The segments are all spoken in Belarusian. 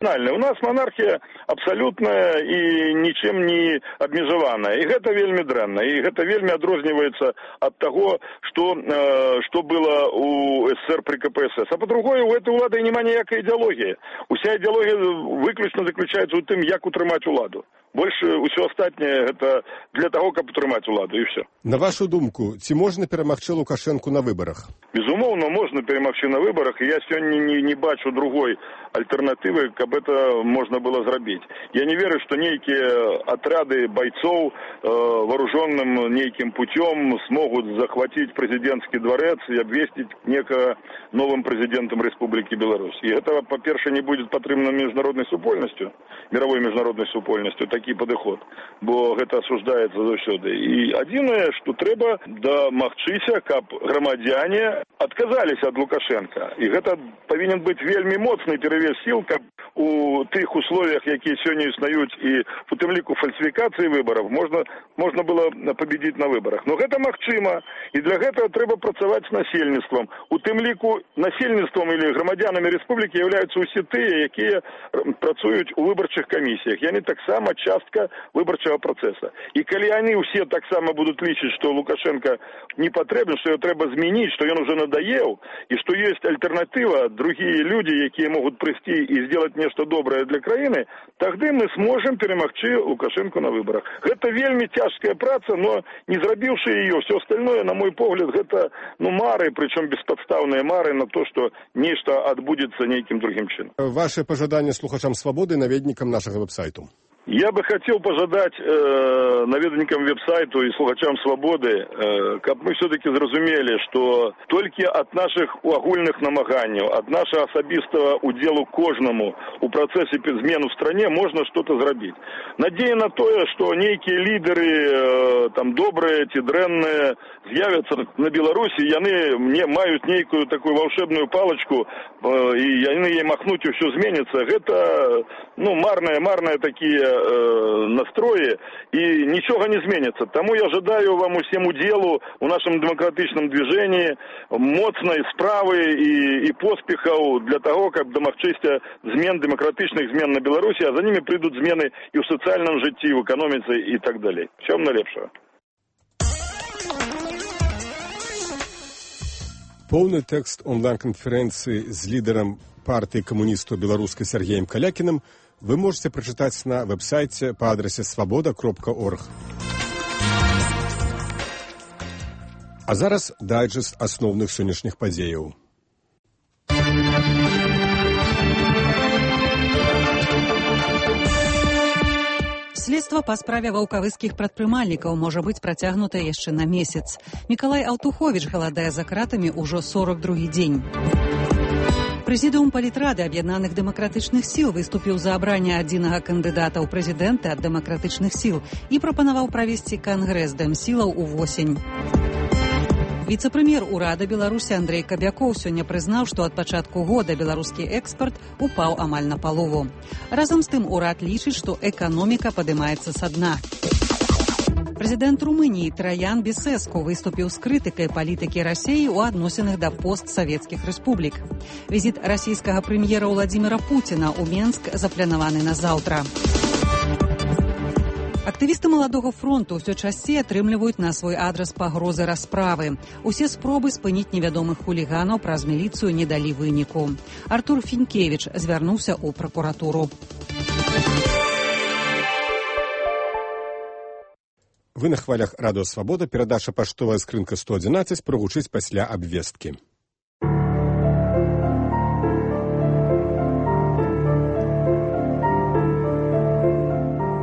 У нас монархія абсалютная і нічым не абмежаваная. І гэта вельмі дрэнна. І гэта вельмі адрозніваецца ад таго, што было у СССР при КПСС. А по-другое, у этой улады няма ніякай ідэалогіі. Уся ідэалогія выключна заключаецца ў тым, як утрымаць уладу. Больше ўсё астатняе гэта для таго, каб утрымаць уладу, і ўсё. На вашу думку, ці можна перамагчы Лукашэнку на выбарах? Безумоўна, можна перамагчы на выбарах, і я сёння не бачу другой альтэрнатывы, каб это можна было зрабіць. Я не верю, што нейкія атрады бойцоў вооруженным нейкім путём смогут захватить президентский дворец и обвестить некого новым президентом Республики Беларусь. И это, по-перше, не будет патрэбна международной супольностью, мировой международной супольностью, такі падыход, бо гэта осуждаецца заўсёды. І адзінае, што трэба дамагчыся, каб грамадзяне адказаліся ад Лукашенка. І гэта павінен быць вельмі моцны перавес сіл, каб у тых условиях, якія сёння існуюць, і у тым ліку фальсифікацыі выборов, можна было победить на выборах. Но гэта магчыма, і для гэтага трэба працаваць з насельніцтвам. У тым ліку насельніцтвам или грамадзянамі рэспублікі являюцца ўсе тыя, якія працуюць у выбарчых камісіях. Яны таксама частка выбарчага працэса. І калі яны ўсе таксама будуць лічыць, што Лукашенко не патрэбен, што его трэба змяніць, што ён уже надоел, і што ёсць альтэрнатыва, другие люди, якія могуць прыйсці і сделать нешта добрае для краіны, тады мы сможем перамагчы Лукашенко на выборах. Гэта вельмі цяжкая праца, но не зрабіўшы ее, все остальное, на мой погляд, гэта мары, причем бесподставные мары на то, что нешта адбудзецца нейкім другим чынам. Ваше пожаданне слухачам Свободы, наведнікам нашага веб-сайту. Я бы хотел пожадать наведникам веб-сайту и слухачам Свободы, каб мы все-таки зразумели, что только от наших агульных намаганняў, от нашего асабістага удзелу кожнаму у процессе змен в стране можно что-то зрабіць. Надея на то, что некие лидеры, там добрые, ці дрэнныя, з'явятся на Беларуси, яны маюць нейкую такую волшебную палочку, и яны ей махнуть, и все зменится. Это, марные такие настрои, и ничего не зменится. Тому я жадаю вам усім удзелу у нашем демократичном движении моцной справы и поспехаў для того, каб дамагчыся змен, демократичных змен на Беларуси, а за ними придут змены и в социальном житті, и в экономице и так далее. Всего найлепшего. Поўны тэкст онлайн-канферэнцыі з лідарам партыі камуністаў беларускай Сергеем Калякіным вы можете прачытаць на веб-сайце па адрасе svoboda.org. А зараз дайджэст асноўных сённяшніх падзеяў. Следства па справе ваўкавыскіх прадпрымальнікаў можа быць працягнута яшчэ на месяц. Мікалай Аўтуховіч галадае за кратамі ўжо 42-й дзень. Прэзідыум палітрады аб'яднаных дэмакратычных сіл выступіў за абранне адзінага кандыдата ў прэзідэнты ад дэмакратычных сіл і прапанаваў правесці кангрэс дэмсілаў увосень. Віцэ-прэм'ер урада Беларусі Андрэй Кабякоў сёння прызнаў, што ад пачатку года беларускі экспарт упаў амаль на палову. Разам з тым урад лічыць, што эканоміка падымаецца са дна. Прэзідэнт Румыніі Траян Бесеску выступіў з крытыкай палітыкі Расіі ў адносінах да постсавецкіх рэспублік. Візіт расійскага прэм'ера Владзіміра Пуціна ў Менск запланаваны на заўтра. Актывісты Маладога фронту ўсё часцей атрымліваюць на свой адрас пагрозы расправы. Усе спробы спыніць невядомых хуліганаў праз міліцыю не далі выніку. Артур Фінкевіч звярнуўся ў пракуратуру. Вы на хвалях радыё Свабода, перадача паштовая скрынка 111 прагучыць пасля абвесткі.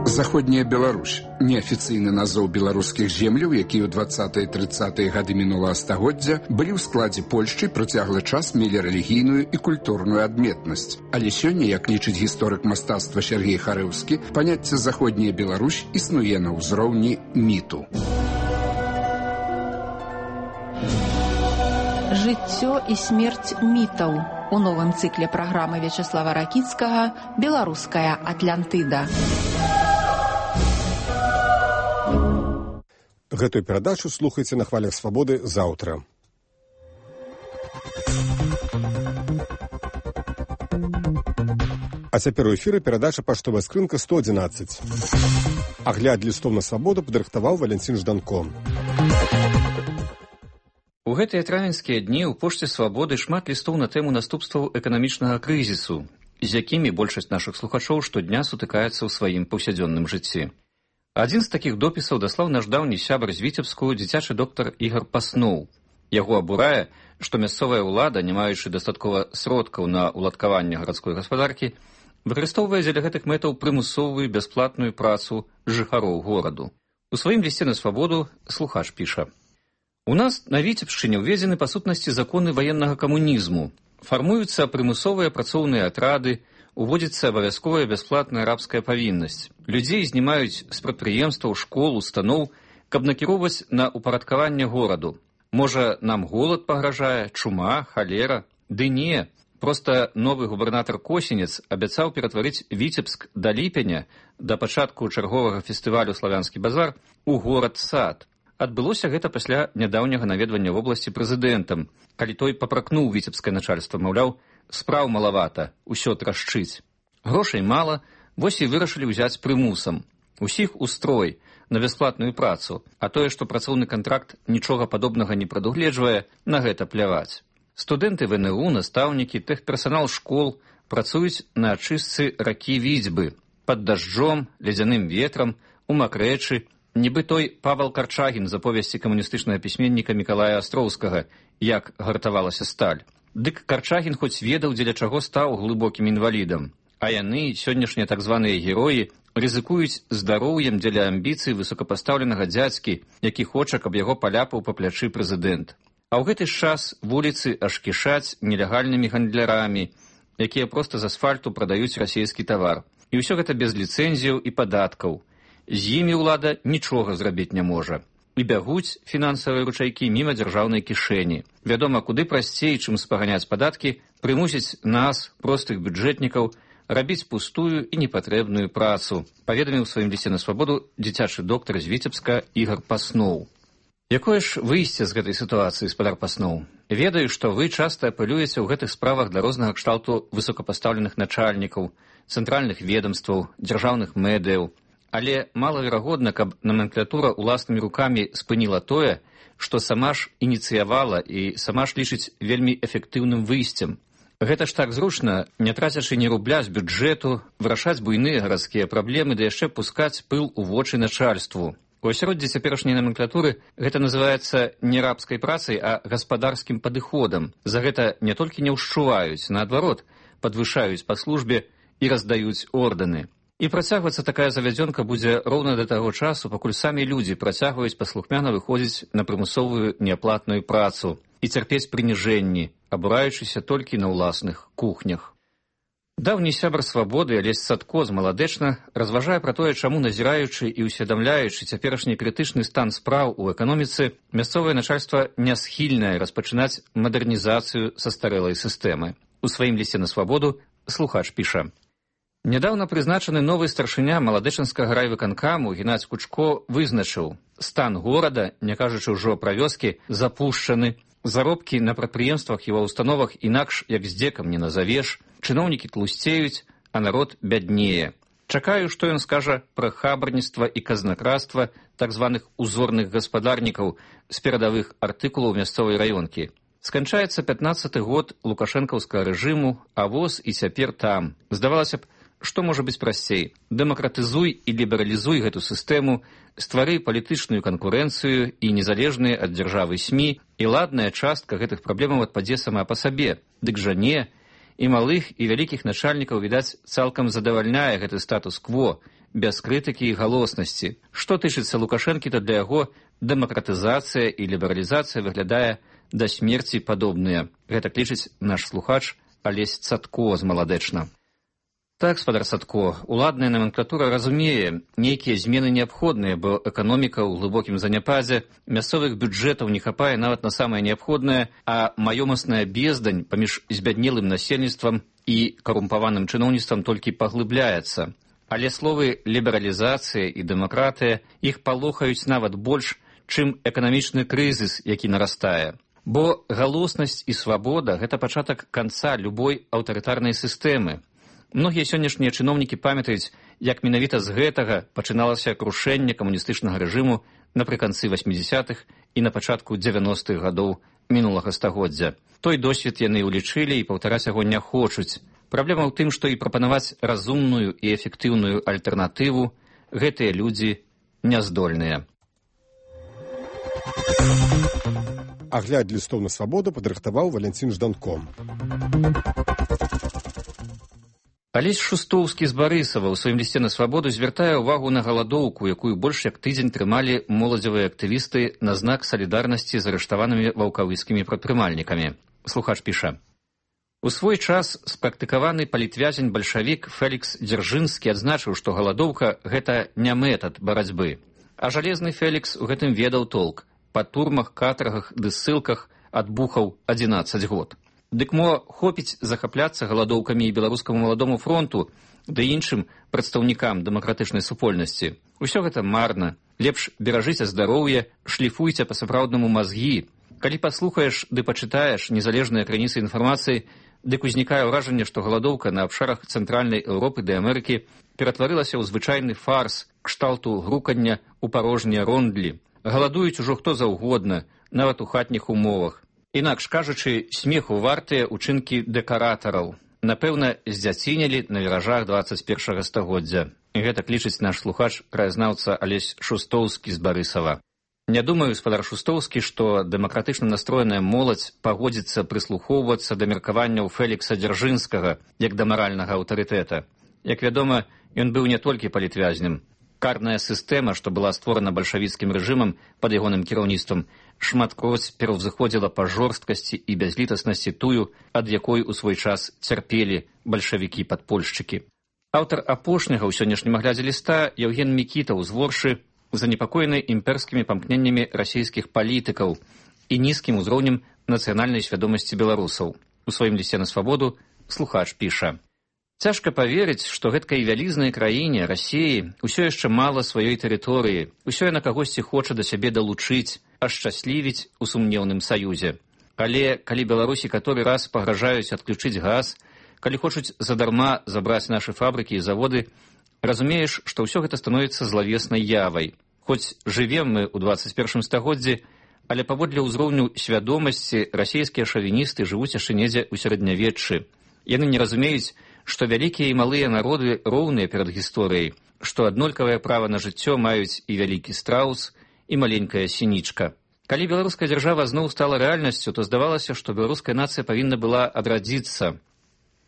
Заходняя Беларусь – неафіцыйны назоў беларускіх земляў, якія ў 20-30-е гады мінулага стагоддзя былі ў складзе Польшчы, працяглы час мелі рэлігійную і культурную адметнасць. Але сёння, як лічыць гісторык мастацтва Сергей Харэўскі, паняцце Заходняя Беларусь існуе на ўзроўні міту. Жыццё і смерць мітаў у новым цыкле праграмы Вячеслава Ракіцкага «Беларуская Атлантыда». Гэтую перадачу слухайце на хвалях Свабоды заўтра. А цяпер у эфіры перадача «Паштовая скрынка 111». Агляд лістоў на свабоду падрыхтаваў Валянцін Жданко. У гэтыя травеньскія дні ў пошце свабоды шмат лістоў на тэму наступстваў эканамічнага крызісу, з якімі большасць нашых слухачоў штодня сутыкаецца ў сваім паўсядзённым жыцці. Адзін з такіх допісаў даслаў наш даўні сябар з Віцебску, дзіцячы доктар Ігар Пасноў. Яго абурае, што мясцовая ўлада, не маючы дастаткова сродкаў на ўладкаванне гарадской гаспадаркі, выкарыстоўвае дзеля гэтых мэтаў прымусовую бясплатную працу жыхароў гораду. У сваім лісце на свабоду слухач піша: «У нас на Віцебшчыне ўведзены па сутнасці законы ваеннага камунізму. Фармуюцца прымусовыя працоўныя атрады, уводзіцца абавязковая бясплатная рабская павіннасць. Людзей знімаюць з прадпрыемстваў, школ, устаноў, каб накіроўваць на упарадкаванне гораду. Можа, нам голад пагражае, чума, халера? Ды не. Проста новы губернатар Косінец абяцаў ператварыць Віцебск да ліпеня, да пачатку чарговага фестывалю «Славянскі базар», у горад-сад. Адбылося гэта пасля нядаўняга наведвання вобласці прэзідэнтам, калі той папракнуў віцебскае начальства, маўляў, спраў малавата, усё трашчыць. Грошай мала, вось і вырашылі ўзяць прымусам. Усіх у строй, на бясплатную працу, а тое, што працоўны кантракт нічога падобнага не прадугледжвае, на гэта пляваць. Студэнты ВНУ, настаўнікі, тэхперсанал школ працуюць на ачыстцы ракі Віцьбы, пад дажджом, ледзяным ветрам, у макрэчы, нібы той Павел Карчагін з аповесці камуністычнага пісьменніка Мікалая Астроўскага, як гартавалася сталь. Дык Карчагін хоць ведаў, дзеля чаго стаў глыбокім інвалідам. А яны, сённяшнія так званыя героі, рызыкуюць здароўем дзеля амбіцый высокапастаўленага дзядзькі, які хоча, каб яго паляпаў па плячы прэзідэнт. А ў гэты ж час вуліцы аж кішаць нелегальнымі гандлярамі, якія проста з асфальту прадаюць расійскі тавар. І ўсё гэта без ліцэнзіяў і падаткаў. З імі ўлада нічога зрабіць не можа. І бягуць фінансавыя ручайкі міма дзяржаўнай кішэні. Вядома, куды прасцей, чым спаганяць падаткі, прымусіць нас, простых бюджэтнікаў, рабіць пустую і непатрэбную працу, паведаміў у сваім лісце на свабоду дзіцячы доктар з Віцебска Ігар Пасноў. Якое ж выйсце з гэтай сітуацыі, спадар Пасноў? Ведаю, што вы часта апелюеце ў гэтых справах да рознага кшталту высокапастаўленых начальнікаў, цэнтральных ведомстваў, дзяржаўных медыяў, але малаверагодна, каб номенклатура ўласнымі рукамі спыніла тое, што сама ж ініцыявала і сама ж лічыць вельмі эфектыўным выйсцем. Гэта ж так зручна, не трацячы ні рубля з бюджэту, вырашаць буйныя гарадскія праблемы, да яшчэ пускаць пыл у вочы начальству. У асяроддзі цяперашняй номенклатуры гэта называецца не рабскай працай, а гаспадарскім падыходам. За гэта не толькі не ўшчуваюць, наадварот, падвышаюць па службе і раздаюць ордэны. І працягвацца такая завядзёнка будзе роўна да таго часу, пакуль самі людзі працягваюць паслухмяна выходзіць на прымусовую неаплатную працу і цярпець прыніжэнні, абураючыся толькі на ўласных кухнях. Даўні сябар свабоды Алесь Садко з Маладэчна разважае пра тое, чаму, назіраючы і ўсведамляючы цяперашні крытычны стан спраў у эканоміцы, мясцовае начальства не схільнае распачынаць мадэрнізацыю састарэлай сістэмы. У сваім лісце на свабоду слухач піша: «Нядаўна прызначаны новы старшыня Маладэчанскага райвыканкаму Геннадзь Кучко вызначыў: стан горада, не кажучы ўжо пра вёскі, запушчаны, заробкі на прадпрыемствах і ва ўстановах інакш як здзекам не назавеш, чыноўнікі тлусцеюць, а народ бяднее. Чакаю, што ён скажа пра хабарніцтва і казнакрацтва так званых узорных гаспадарнікаў з перадавых артыкулаў мясцовай раёнкі. Сканчаецца 15-й год лукашэнкаўскага рэжыму, а воз і цяпер там. Здавалася б, што можа быць прасцей? Дэмакратызуй і лібералізуй гэту сістэму, ствары палітычную канкурэнцыю і незалежныя ад дзяржавы СМІ, і ладная частка гэтых праблемаў адпадзе сама па сабе. Дык жа не. І малых, і вялікіх начальнікаў, відаць, цалкам задавальняе гэты статус-кво, без крытыкі і галоснасці. Што тычыцца Лукашэнкі, то для яго дэмакратызацыя і лібералізацыя выглядае да смерці падобныя. Гэта лічыць наш слухач Алесь Садко з Маладэчна. Так, спадар Садко, уладная номенклатура разумее, нейкія змены неабходныя, бо эканоміка ў глыбокім заняпадзе, мясцовых бюджэтаў не хапае нават на самае неабходнае, а маёмасная бездань паміж збяднелым насельніцтвам і карумпаваным чыноўніцтвам толькі паглыбляецца. Але словы лібералізацыя і дэмакратыя іх палохаюць нават больш, чым эканамічны крызіс, які нарастае. Бо галоснасць і свабода – гэта пачатак канца любой аўтарытарнай сістэмы. Многія сённяшнія чыноўнікі памятаюць, як менавіта з гэтага пачыналася крушэнне камуністычнага рэжыму напрыканцы 80-х і на пачатку 90-х гадоў мінулага стагоддзя. Той досвед яны ўлічылі і паўтараць яго не хочуць. Праблема ў тым, што і прапанаваць разумную і эфектыўную альтэрнатыву гэтыя людзі няздольныя. Агляд лістоў на свабоду падрыхтаваў Валянцін Жданко. Алесь Шустоўскі з Барысава ў сваім лісце на свабоду звяртае ўвагу на галадоўку, якую больш як тыдзень трымалі моладзевыя актывісты на знак салідарнасці з арыштаванымі ваўкавыцкімі прадпрымальнікамі. Слухач піша: у свой час спрактыкаваны палітвязень-бальшавік Фелікс Дзяржынскі адзначыў, што галадоўка – гэта не метад барацьбы. А жалезны Фелікс у гэтым ведаў толк. Па турмах, катаргах ды ссылках адбухаў 11 год. Дык мо хопіць захапляцца галадоўкамі і беларускаму маладому фронту, ды іншым прадстаўнікам дэмакратычнай супольнасці. Усё гэта марна. Лепш беражыце здароўе, шліфуйце па-сапраўднаму мазгі. Калі паслухаеш ды пачытаеш незалежныя крыніцы інфармацыі, дык узнікае ўражанне, што галадоўка на абшарах цэнтральнай Еўропы ды Амерыкі ператварылася ў звычайны фарс кшталту грукання ў парожнія рондлі. Галадуюць ужо хто заўгодна, нават у хатніх умовах. Інакш кажучы, смеху вартыя ўчынкі дэкаратараў. Напэўна, здзяцінілі на віражах 21 стагоддзя. Гэтак лічыць наш слухач, краязнаўца Алесь Шустоўскі з Барысава. Не думаю, гаспадар Шустоўскі, што дэмакратычна настроеная моладзь пагодзіцца прыслухоўвацца да меркаванняў Фелікса Дзяржынскага як да маральнага аўтарытэта. Як вядома, ён быў не толькі палітвязнем. Карная сістэма, што была створана бальшавіцкім рэжымам пад ягоным кіраўніцтвам, шматкроць пераўзыходзіла па жорсткасці і бязлітаснасці тую, ад якой у свой час цярпелі бальшавікі-падпольшчыкі. Аўтар апошняга ў сённяшнім аглядзе ліста Яўген Мікітаў з Воршы занепакоены імперскімі памкненнямі расійскіх палітыкаў і нізкім узроўнем нацыянальнай свядомасці беларусаў. У сваім лісце на свабоду слухач піша: цяжка паверыць, што гэткай вялізнай краіне, Расіі, усё яшчэ мала сваёй тэрыторыі, усё яна кагосьці хоча да сябе далучыць, ашчаслівіць у сумнеўным саюзе. Але калі Беларусі каторы раз пагражаюць адключыць газ, калі хочуць задарма забраць нашы фабрыкі і заводы, разумееш, што ўсё гэта становіцца злавеснай явай. Хоць жывем мы ў 21 стагоддзі, але паводле ўзроўню свядомасці расійскія шавіністы жывуць яшчэ недзе ў сярэднявеччы. Яны не разумеюць, што вялікія і малыя народы роўныя перад гісторыяй, што аднолькавае права на жыццё маюць і вялікі страус, і маленькая сінічка. Калі беларуская дзяржава зноў стала рэальнасцю, то здавалася, што беларуская нацыя павінна была адрадзіцца.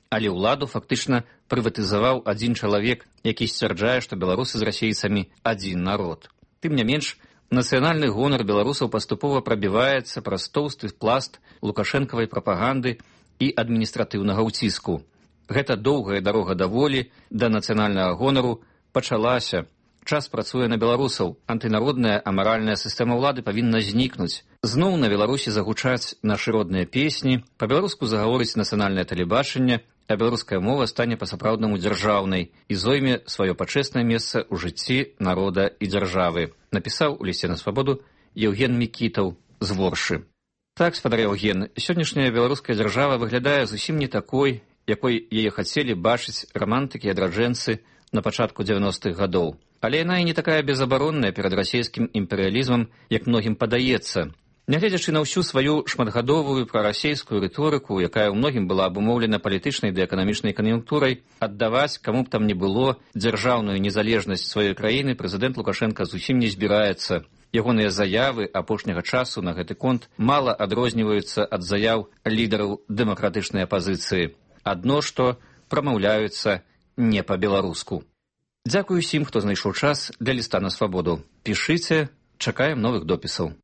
Але ўладу фактычна прыватызаваў адзін чалавек, які сцвярджае, што беларусы з расейцамі адзін народ. Тым не менш, нацыянальны гонар беларусаў паступова прабіваецца праз тоўсты пласт лукашэнкавай прапаганды і адміністратыўнага ўціску. Гэта доўгая дарога да волі, да нацыянальнага гонару пачалася. Час працуе на беларусаў. Антынародная амаральная сістэма ўлады павінна знікнуць. Зноў на Беларусі загучаць нашы родныя песні, па-беларуску загаворыць нацыянальнае тэлебачанне, а беларуская мова стане па-сапраўднаму дзяржаўнай і зойме сваё пачэснае месца ў жыцці народа і дзяржавы. Напісаў у лісце на свабоду Яўген Мікітаў з Воршы. Так, гаспадар Яўген, сённяшняя беларуская дзяржава выглядае зусім не такой, якой яе хацелі бачыць рамантыкі і адраджэнцы на пачатку 90-х гадоў. Але яна і не такая безабаронная перад расійскім імперыялізмам, як многім падаецца. Нягледзячы на ўсю сваю шматгадовую прарасейскую рыторыку, якая ў многім была абумоўлена палітычнай ды эканамічнай кан'юнктурай, аддаваць, каму б там не было, дзяржаўную незалежнасць сваёй краіны прэзідэнт Лукашенка зусім не збіраецца. Ягоныя заявы апошняга часу на гэты конт мала адрозніваюцца ад заяў лідараў дэмакратычнай апазіцыі. Адно што прамаўляюцца не па-беларуску. Дзякую усім, хто знайшоў час для ліста на свабоду. Пішыце, чакаем новых допісаў.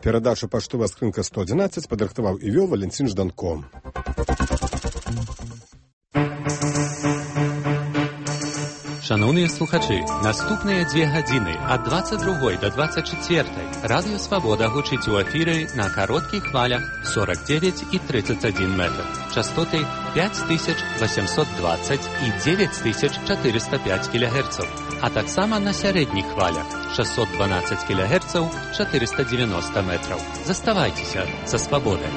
Перадачу «Паштовая скрынка 111» падрыхтаваў і вёў Валянцін Жданко. Шановні слухачі, наступныя 2 гадзіны ад 22 до 24 Радыё Свабода гучыць у эфіры на кароткіх хвалях 49 і 31 метр, частоты 5820 і 9405 кГц, а таксама на сярэдніх хвалях 612 кГц, 490 метраў. Заставайцеся са свабодай.